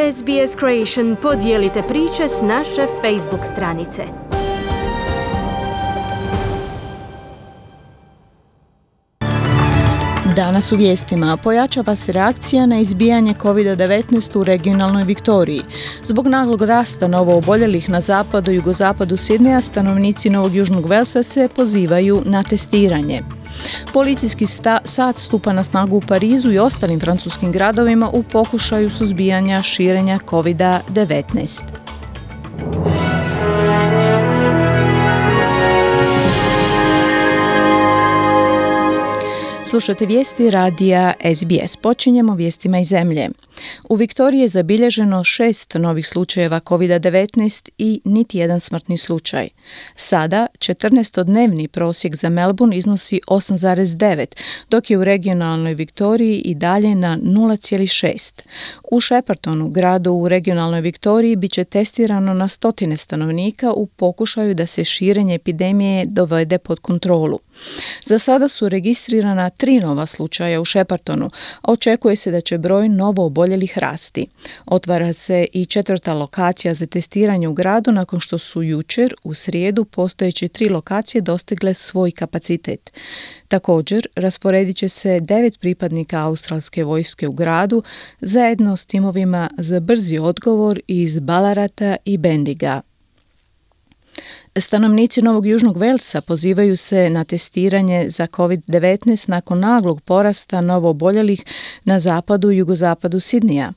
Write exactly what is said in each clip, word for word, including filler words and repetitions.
S B S Creation podijelite priče s naše Facebook stranice. Danas u vijestima pojačava se reakcija na izbijanje kovid devetnaest u regionalnoj Viktoriji. Zbog naglog rasta novooboljelih na zapadu i jugozapadu Sidneja, stanovnici Novog Južnog Velsa se pozivaju na testiranje. Policijski sta- sat stupa na snagu u Parizu i ostalim francuskim gradovima u pokušaju suzbijanja širenja kovid devetnaest. Slušate vijesti radija S B S. Počinjemo vijestima iz zemlje. U Viktoriji je zabilježeno šest novih slučajeva kovid devetnaest i niti jedan smrtni slučaj. Sada četrnaestodnevni prosjek za Melbourne iznosi osam zarez devet, dok je u regionalnoj Viktoriji i dalje na nula zarez šest. U Sheppartonu, gradu u regionalnoj Viktoriji, bit će testirano na stotine stanovnika u pokušaju da se širenje epidemije dovede pod kontrolu. Za sada su registrirana tri nova slučaja u Sheppartonu, a očekuje se da će broj novooboljelih rasti. Otvara se i četvrta lokacija za testiranje u gradu nakon što su jučer, u srijedu, postojeće tri lokacije dostigle svoj kapacitet. Također, rasporedit će se devet pripadnika australske vojske u gradu zajedno s timovima za brzi odgovor iz Ballarata i Bendiga. Stanovnici Novog Južnog Velsa pozivaju se na testiranje za kovid devetnaest nakon naglog porasta novooboljelih na zapadu i jugozapadu Sidneja.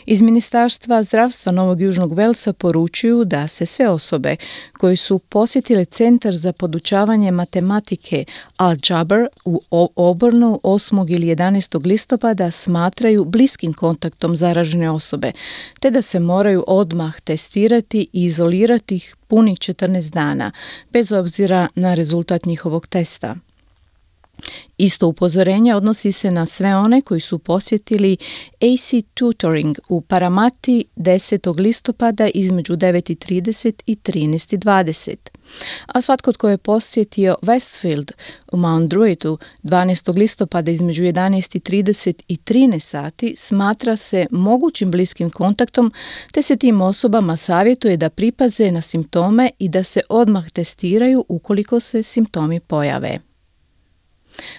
Iz Ministarstva zdravstva Novog Južnog Velsa poručuju da se sve osobe koji su posjetile Centar za podučavanje matematike Al-Jaber u Auburnu osmog ili jedanaestog listopada smatraju bliskim kontaktom zaražene osobe, te da se moraju odmah testirati i izolirati ih punih četrnaest dana, bez obzira na rezultat njihovog testa. Isto upozorenje odnosi se na sve one koji su posjetili A C Tutoring u Paramati desetog listopada između devet i trideset i trinaest i dvadeset. A svatko tko je posjetio Westfield u Mount Druittu dvanaestog listopada između jedanaest i trideset i trinaest sati smatra se mogućim bliskim kontaktom, te se tim osobama savjetuje da pripaze na simptome i da se odmah testiraju ukoliko se simptomi pojave.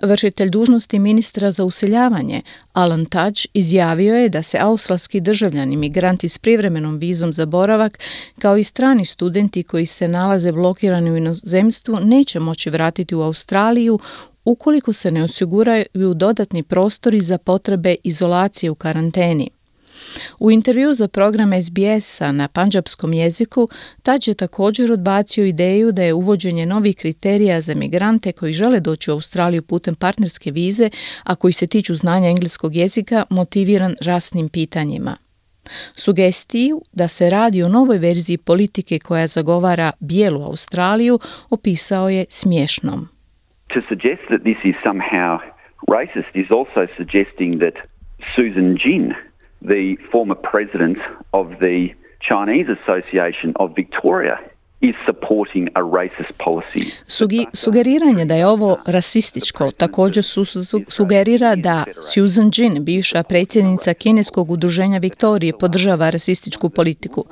Vršitelj dužnosti ministra za useljavanje Alan Tudge izjavio je da se australski državljani, migranti s privremenom vizom za boravak, kao i strani studenti koji se nalaze blokirani u inozemstvu, neće moći vratiti u Australiju ukoliko se ne osiguraju dodatni prostori za potrebe izolacije u karanteni. U intervju za program S B S-a na pandžapskom jeziku, Tudge je također odbacio ideju da je uvođenje novih kriterija za migrante koji žele doći u Australiju putem partnerske vize, a koji se tiču znanja engleskog jezika, motiviran rasnim pitanjima. Sugestiju da se radi o novoj verziji politike koja zagovara bijelu Australiju opisao je smiješnom. To suggest that this is somehow racist is also suggesting that Susan Jin, the former president of the Chinese Association of Victoria, is supporting a racist policy. Sugi, sugeriranje da je ovo rasističko također su, su, sugerira da Susan Jin, bivša predsjednica kineskog udruženja Viktorije, podržava rasističku politiku.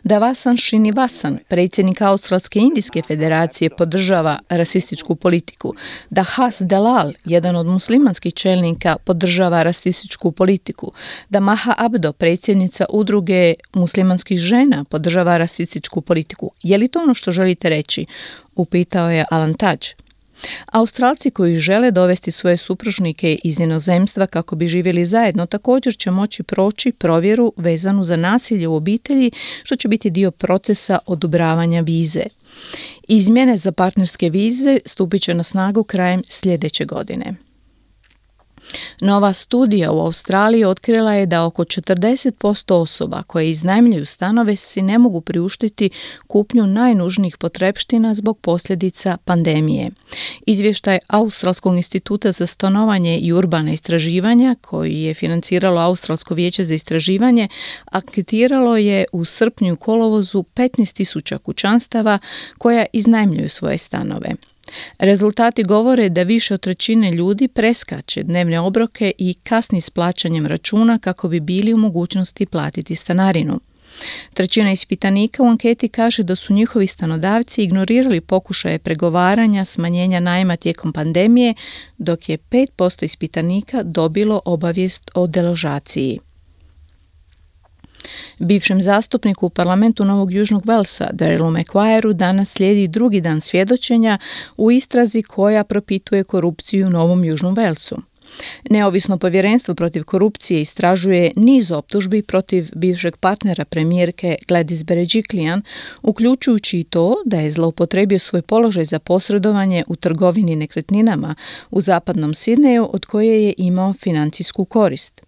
Da Vasan Srinivasan, predsjednik Australske indijske federacije, podržava rasističku politiku. Da Has Dalal, jedan od muslimanskih čelnika, podržava rasističku politiku. Da Maha Abdo, predsjednica udruge muslimanskih žena, podržava rasističku politiku. Je li to ono što želite reći? Upitao je Alan Tudge. Australci koji žele dovesti svoje supružnike iz inozemstva kako bi živjeli zajedno također će moći proći provjeru vezanu za nasilje u obitelji, što će biti dio procesa odobravanja vize. Izmjene za partnerske vize stupit će na snagu krajem sljedeće godine. Nova studija u Australiji otkrila je da oko četrdeset posto osoba koje iznajmljuju stanove si ne mogu priuštiti kupnju najnužnijih potrepština zbog posljedica pandemije. Izvještaj Australskog instituta za stanovanje i urbana istraživanja, koji je financiralo Australsko vijeće za istraživanje, anketiralo je u srpnju i kolovozu petnaest tisuća kućanstava koja iznajmljuju svoje stanove. Rezultati govore da više od trećine ljudi preskače dnevne obroke i kasni s plaćanjem računa kako bi bili u mogućnosti platiti stanarinu. Trećina ispitanika u anketi kaže da su njihovi stanodavci ignorirali pokušaje pregovaranja smanjenja najma tijekom pandemije, dok je pet posto ispitanika dobilo obavijest o deložaciji. Bivšem zastupniku u parlamentu Novog Južnog Velsa, Darylu McGuireu, danas slijedi drugi dan svjedočenja u istrazi koja propituje korupciju u Novom Južnom Velsu. Neovisno povjerenstvo protiv korupcije istražuje niz optužbi protiv bivšeg partnera premijerke Gladys Berejiklian, uključujući i to da je zloupotrijebio svoj položaj za posredovanje u trgovini nekretninama u zapadnom Sidneju od koje je imao financijsku korist.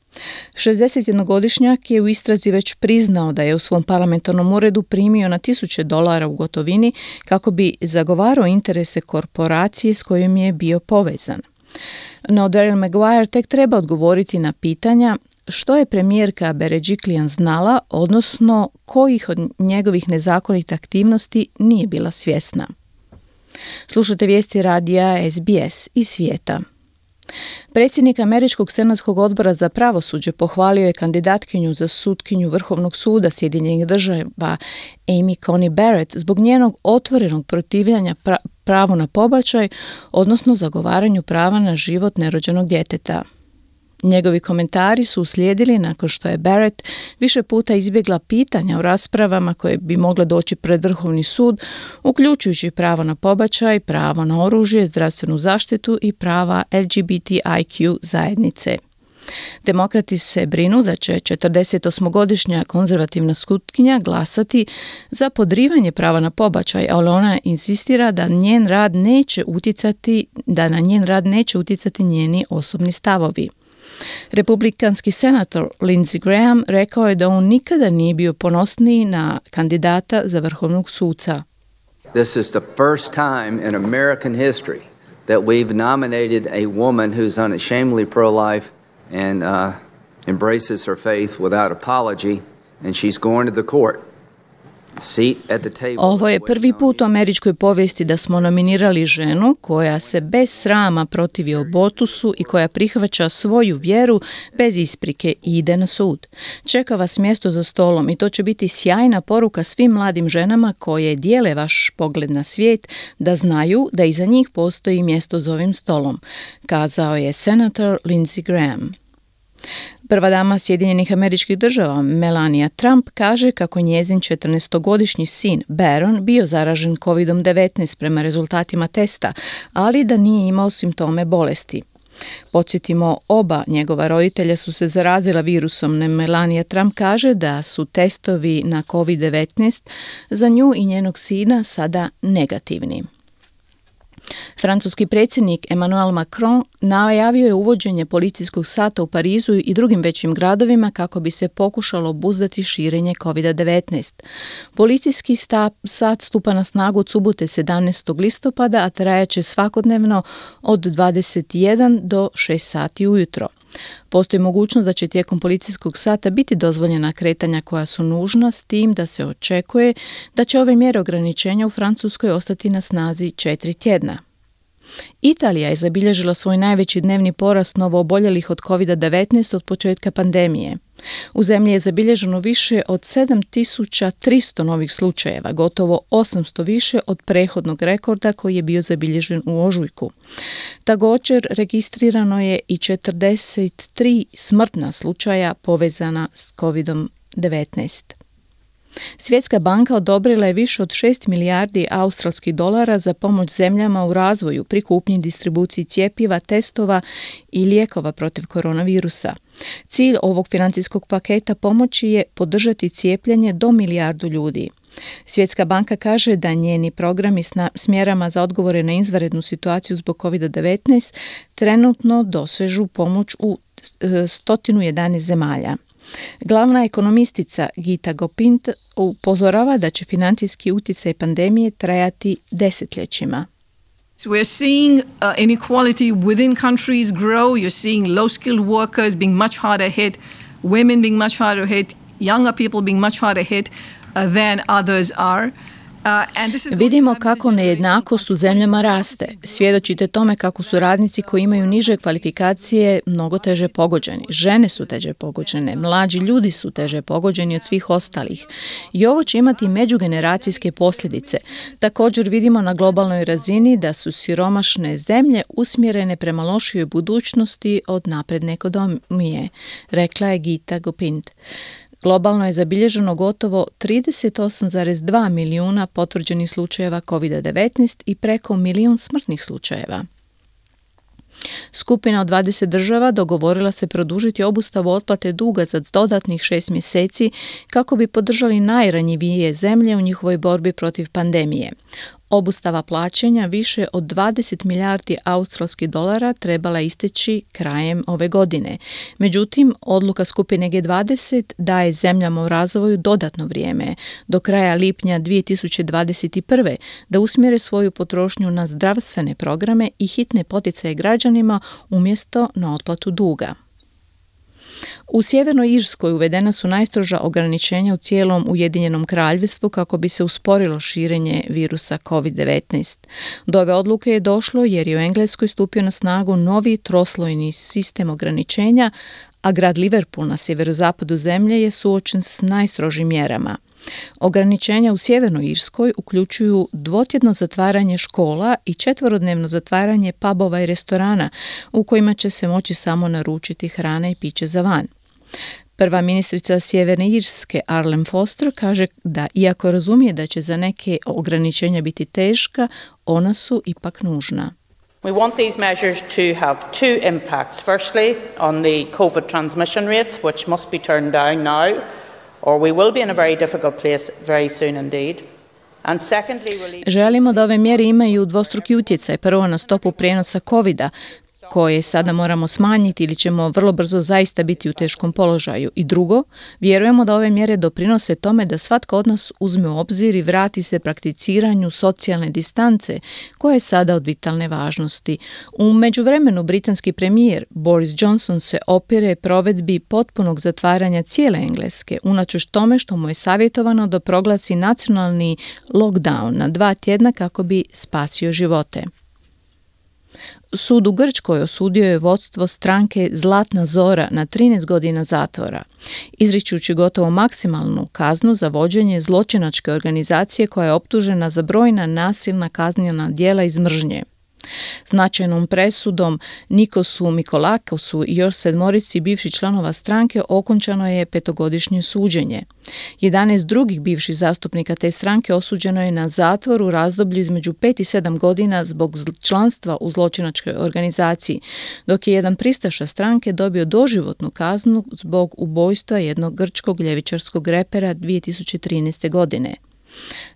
šezdesetjednogodišnjak je u istrazi već priznao da je u svom parlamentarnom uredu primio na tisuće dolara u gotovini kako bi zagovarao interese korporacije s kojom je bio povezan. No Daryl McGuire tek treba odgovoriti na pitanja što je premijerka Berejiklian znala, odnosno kojih od njegovih nezakonitih aktivnosti nije bila svjesna. Slušate vijesti radija S B S iz svijeta. Predsjednik Američkog senatskog odbora za pravosuđe pohvalio je kandidatkinju za sutkinju Vrhovnog suda Sjedinjenih država Amy Coney Barrett zbog njenog otvorenog protivljenja pra- pravu na pobačaj, odnosno zagovaranju prava na život nerođenog djeteta. Njegovi komentari su uslijedili nakon što je Barrett više puta izbjegla pitanja u raspravama koje bi mogle doći pred Vrhovni sud, uključujući pravo na pobačaj, pravo na oružje, zdravstvenu zaštitu i prava L G B T I Q zajednice. Demokrati se brinu da će četrdesetosmogodišnja konzervativna sutkinja glasati za podrivanje prava na pobačaj, ali ona insistira da njen rad neće utjecati, da na njen rad neće utjecati njeni osobni stavovi. Republikanski senator Lindsey Graham rekao je da on nikada nije bio ponosniji na kandidata za vrhovnog suca. This is the first time in American history that we've nominated a woman who's unashamedly pro-life and uh, embraces her faith without apology, and she's going to the court. Ovo je prvi put u američkoj povijesti da smo nominirali ženu koja se bez srama protivi abortusu i koja prihvaća svoju vjeru bez isprike i ide na sud. Čeka vas mjesto za stolom i to će biti sjajna poruka svim mladim ženama koje dijele vaš pogled na svijet, da znaju da iza njih postoji mjesto za ovim stolom, kazao je senator Lindsey Graham. Prva dama Sjedinjenih Američkih Država, Melania Trump, kaže kako njezin četrnaestogodišnji sin Barron bio zaražen kovid devetnaest prema rezultatima testa, ali da nije imao simptome bolesti. Podsjetimo, oba njegova roditelja su se zarazila virusom. Melania Trump kaže da su testovi na kovid devetnaest za nju i njenog sina sada negativni. Francuski predsjednik Emmanuel Macron najavio je uvođenje policijskog sata u Parizu i drugim većim gradovima kako bi se pokušalo obuzdati širenje kovid devetnaest. Policijski sta, sat stupa na snagu od subote sedamnaestog listopada, a trajaće svakodnevno od dvadeset jedan do šest sati ujutro. Postoji mogućnost da će tijekom policijskog sata biti dozvoljena kretanja koja su nužna, s tim da se očekuje da će ove mjere ograničenja u Francuskoj ostati na snazi četiri tjedna. Italija je zabilježila svoj najveći dnevni porast novooboljelih od kovid devetnaest od početka pandemije. U zemlji je zabilježeno više od sedam tisuća tristo novih slučajeva, gotovo osamsto više od prethodnog rekorda koji je bio zabilježen u ožujku. Također registrirano je i četrdeset tri smrtna slučaja povezana s kovid devetnaest. Svjetska banka odobrila je više od šest milijardi australskih dolara za pomoć zemljama u razvoju pri kupnji i distribuciji cjepiva, testova i lijekova protiv koronavirusa. Cilj ovog financijskog paketa pomoći je podržati cijepljenje do milijardu ljudi. Svjetska banka kaže da njeni programi s mjerama za odgovore na izvanrednu situaciju zbog kovid devetnaest trenutno dosežu pomoć u sto jedanaest zemalja. Glavna ekonomistica Gita Gopint upozorava da će financijski utjecaj pandemije trajati desetljećima. So we're seeing uh, inequality within countries grow. You're seeing low-skilled workers being much harder hit, women being much harder hit, younger people being much harder hit uh, than others are. Vidimo kako nejednakost u zemljama raste. Svjedočite tome kako su radnici koji imaju niže kvalifikacije mnogo teže pogođeni. Žene su teže pogođene, mlađi ljudi su teže pogođeni od svih ostalih. I ovo će imati međugeneracijske posljedice. Također vidimo na globalnoj razini da su siromašne zemlje usmjerene prema lošijoj budućnosti od napredne ekonomije, rekla je Gita Gopind. Globalno je zabilježeno gotovo trideset osam zarez dva milijuna potvrđenih slučajeva kovid devetnaest i preko milijun smrtnih slučajeva. Skupina od dvadeset država dogovorila se produžiti obustavu otplate duga za dodatnih šest mjeseci kako bi podržali najranjivije zemlje u njihovoj borbi protiv pandemije. Obustava plaćanja više od dvadeset milijardi australskih dolara trebala isteći krajem ove godine. Međutim, odluka skupine G dvadeset daje zemljama u razvoju dodatno vrijeme, do kraja lipnja dvije tisuće dvadeset prve, da usmjere svoju potrošnju na zdravstvene programe i hitne poticaje građanima umjesto na otplatu duga. U Sjevernoj Irskoj uvedena su najstroža ograničenja u cijelom Ujedinjenom kraljevstvu kako bi se usporilo širenje virusa kovid devetnaest. Do ove odluke je došlo jer je u Engleskoj stupio na snagu novi troslojni sistem ograničenja, a grad Liverpool na sjeverozapadu zemlje je suočen s najstrožim mjerama. Ograničenja u Sjevernoj Irskoj uključuju dvotjedno zatvaranje škola i četverodnevno zatvaranje pubova i restorana u kojima će se moći samo naručiti hrana i piće za van. Prva ministrica Sjeverne Irske, Arlene Foster, kaže da iako razumije da će za neke ograničenja biti teška, ona su ipak nužna. We want these measures to have two impacts. Firstly, on the COVID transmission rates, which must be turned down now, or we will be in a very difficult place very soon indeed. And secondly, relieve... Želimo da ove mjere imaju dvostruki utjecaj, prvo na stopu prijenosa kovida, koje sada moramo smanjiti ili ćemo vrlo brzo zaista biti u teškom položaju. I drugo, vjerujemo da ove mjere doprinose tome da svatko od nas uzme u obzir i vrati se prakticiranju socijalne distance, koja je sada od vitalne važnosti. U međuvremenu britanski premijer Boris Johnson se opire provedbi potpunog zatvaranja cijele Engleske, unatoč tome što mu je savjetovano da proglasi nacionalni lockdown na dva tjedna kako bi spasio živote. Sud u Grčkoj osudio je vodstvo stranke Zlatna Zora na trinaest godina zatvora, izričući gotovo maksimalnu kaznu za vođenje zločinačke organizacije koja je optužena za brojna nasilna kaznena djela iz mržnje. Značajnom presudom Nikosu Mikolakosu i još sedmorici bivših članova stranke okončano je petogodišnje suđenje. jedanaest drugih bivših zastupnika te stranke osuđeno je na zatvor u razdoblju između pet i sedam godina zbog članstva u zločinačkoj organizaciji, dok je jedan pristaša stranke dobio doživotnu kaznu zbog ubojstva jednog grčkog ljevičarskog repera dvije tisuće trinaeste. godine.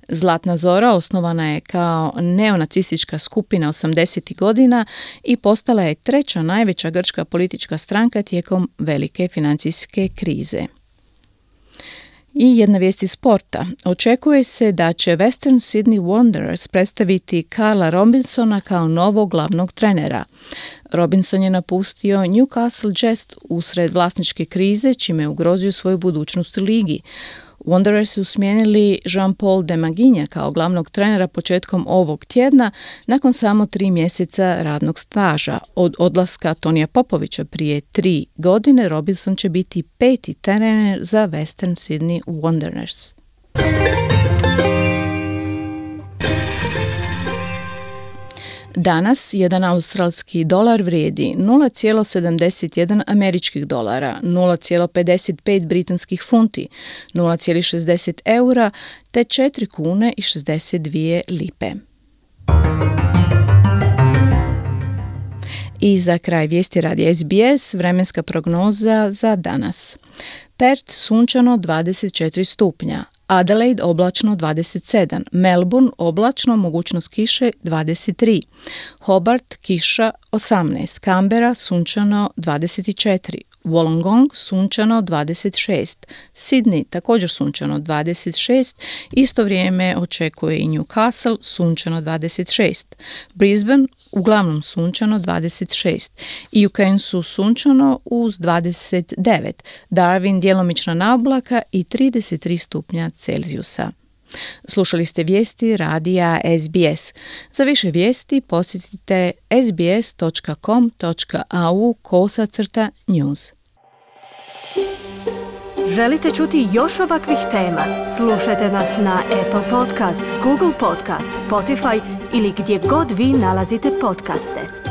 Zlatna Zora osnovana je kao neonacistička skupina osamdesetih godina i postala je treća najveća grčka politička stranka tijekom velike financijske krize. I jedna vijest iz sporta. Očekuje se da će Western Sydney Wanderers predstaviti Carla Robinsona kao novog glavnog trenera. Robinson je napustio Newcastle Jets usred vlasničke krize, čime je ugrozio svoju budućnost u ligi. Wanderers su smijenili Jean-Paul Demaginja kao glavnog trenera početkom ovog tjedna nakon samo tri mjeseca radnog staža. Od odlaska Tonija Popovića prije tri godine Robinson će biti peti trener za Western Sydney Wanderers. Danas jedan australski dolar vrijedi nula zarez sedamdeset jedan američkih dolara, nula zarez pedeset pet britanskih funti, nula zarez šezdeset eura te četiri kune i šezdeset dvije lipe. I za kraj vijesti radi S B S vremenska prognoza za danas. Perth sunčano dvadeset četiri stupnja. Adelaide oblačno dvadeset sedam, Melbourne oblačno, mogućnost kiše dvadeset tri, Hobart kiša osamnaest, Canberra sunčano dvadeset četiri, Wollongong sunčano dvadeset šest, Sydney također sunčano dvadeset šest, isto vrijeme očekuje i Newcastle sunčano dvadeset šest, Brisbane uglavnom sunčano dvadeset šest i u Cairnsu sunčano uz dvadeset devet, Darwin djelomična naoblaka i trideset tri stupnja Celzijusa. Slušali ste vijesti radija S B S. Za više vijesti posjetite sbs.com.au kosacrta news. Želite čuti još ovakvih tema? Slušajte nas na Apple Podcast, Google Podcast, Spotify ili gdje god vi nalazite podcaste.